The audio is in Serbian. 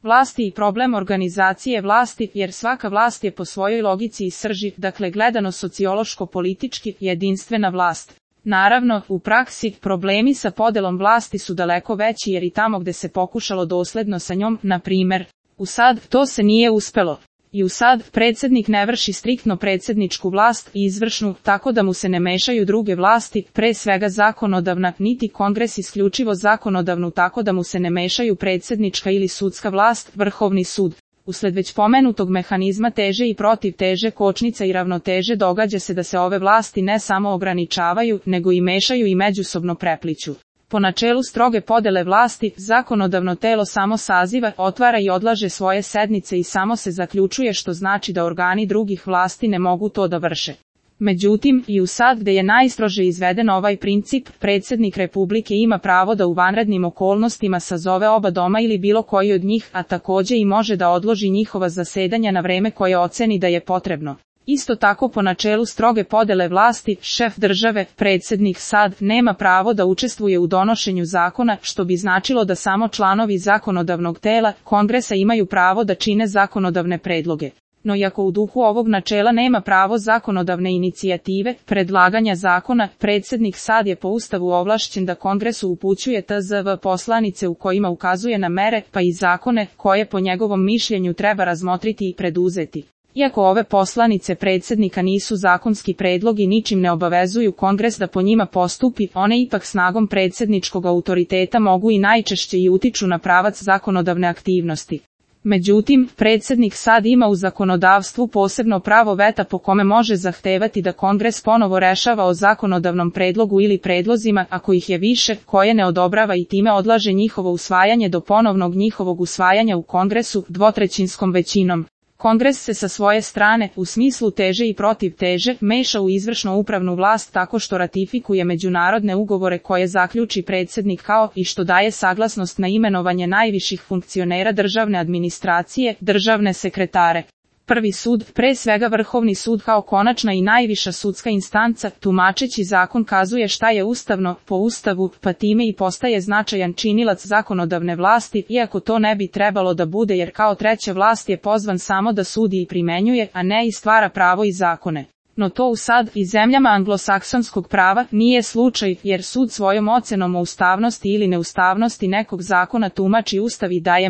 vlasti i problem organizacije vlasti, jer svaka vlast je po svojoj logici i srži, dakle gledano sociološko-politički, jedinstvena vlast. Naravno, u praksi, problemi sa podelom vlasti su daleko veći jer i tamo gde se pokušalo dosledno sa njom, na primer, u SAD, to se nije uspelo. I u SAD, predsjednik ne vrši striktno predsjedničku vlast i izvršnu, tako da mu se ne mešaju druge vlasti, pre svega zakonodavna, niti kongres isključivo zakonodavnu, tako da mu se ne mešaju predsjednička ili sudska vlast, vrhovni sud. Usled već pomenutog mehanizma teže i protiv teže kočnica i ravnoteže događa se da se ove vlasti ne samo ograničavaju, nego i mešaju i međusobno prepliću. Po načelu stroge podele vlasti, zakonodavno telo samo saziva, otvara i odlaže svoje sednice i samo se zaključuje, što znači da organi drugih vlasti ne mogu to da vrše. Međutim, i u SAD gde je najstrože izveden ovaj princip, predsjednik Republike ima pravo da u vanrednim okolnostima sazove oba doma ili bilo koji od njih, a takođe i može da odloži njihova zasedanja na vreme koje oceni da je potrebno. Isto tako po načelu stroge podele vlasti, šef države, predsjednik SAD, nema pravo da učestvuje u donošenju zakona, što bi značilo da samo članovi zakonodavnog tela, kongresa imaju pravo da čine zakonodavne predloge. No iako u duhu ovog načela nema pravo zakonodavne inicijative, predlaganja zakona, predsjednik SAD je po Ustavu ovlašćen da kongresu upućuje tzv. Poslanice u kojima ukazuje na mere, pa i zakone, koje po njegovom mišljenju treba razmotriti i preduzeti. Iako ove poslanice predsjednika nisu zakonski predlog i ničim ne obavezuju kongres da po njima postupi, one ipak snagom predsjedničkog autoriteta mogu i najčešće i utiču na pravac zakonodavne aktivnosti. Međutim, predsjednik SAD ima u zakonodavstvu posebno pravo veta po kome može zahtevati da kongres ponovo rešava o zakonodavnom predlogu ili predlozima, ako ih je više, koje ne odobrava i time odlaže njihovo usvajanje do ponovnog njihovog usvajanja u kongresu dvotrećinskom većinom. Kongres se sa svoje strane, u smislu teže i protiv teže, meša u izvršno upravnu vlast tako što ratifikuje međunarodne ugovore koje zaključi predsjednik kao i što daje saglasnost na imenovanje najviših funkcionera državne administracije, državne sekretare. Prvi sud, pre svega Vrhovni sud kao konačna i najviša sudska instanca, tumačeći zakon kazuje šta je ustavno, po Ustavu, pa time i postaje značajan činilac zakonodavne vlasti, iako to ne bi trebalo da bude jer kao treća vlast je pozvan samo da sudi i primenjuje, a ne i stvara pravo i zakone. No to u SAD i zemljama anglosaksonskog prava nije slučaj, jer sud svojom ocenom o ustavnosti ili neustavnosti nekog zakona tumači Ustav i daje